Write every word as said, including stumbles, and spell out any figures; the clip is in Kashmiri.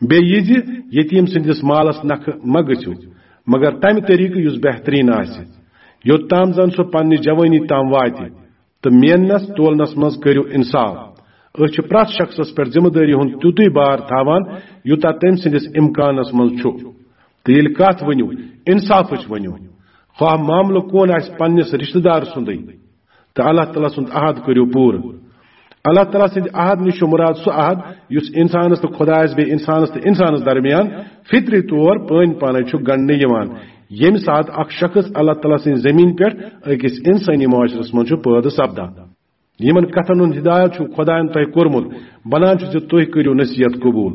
بیٚیہِ یہِ زِ یتیٖم سٕنٛدِس مالس نکھٕ مہ گٔژھِو، مگر تمہِ طریقہٕ یُس بہتریٖن آسہِ، یوٚت تام زن سُہ پننہِ جوٲنی تام واتہِ، تہٕ میننس تولنس منٛز کٔرِو انصاف۔ أسۍ چھِ پرٛٮ۪تھ شخصس پٮ۪ٹھ ذمہٕ دٲری ہُنٛد تیُتُے بار تھاوان، یوٗتاہ تٔمۍ سٕنٛدِس امکانس منٛز چھُ۔ تہٕ ییٚلہِ کتھ ؤنِو، انصافٕچ ؤنِو، خواہ معاملہٕ کون آسہِ، پننِس رشتہٕ دار سُنٛدٕے۔ تہٕ اللہ تعالیٰ سُنٛد عہد کٔرِو پوٗرٕ۔ اللہ تعالیٰ سٕنٛدِ عہد نِش چھُ مُراد سُہ عہد یُس انسانس تہٕ خۄدایس، بیٚیہِ انسانس تہٕ انسانس درمیان فطری طور پٲنۍ پانے چھُ گنڈنہٕ یِوان، ییٚمہِ ساتہٕ اکھ شخص اللہ تعالیٰ سٕنٛزِ زمین پٮ۪ٹھ أکِس انسٲنی معاشرس منٛز چھُ پٲدٕ سپدان۔ یِمن کتھن ہُنٛد ہدایت چھُ خۄدایَن تۄہہِ کوٚرمُت، بنان چھُ زِ تُہۍ کٔرِو نصیحت قبول۔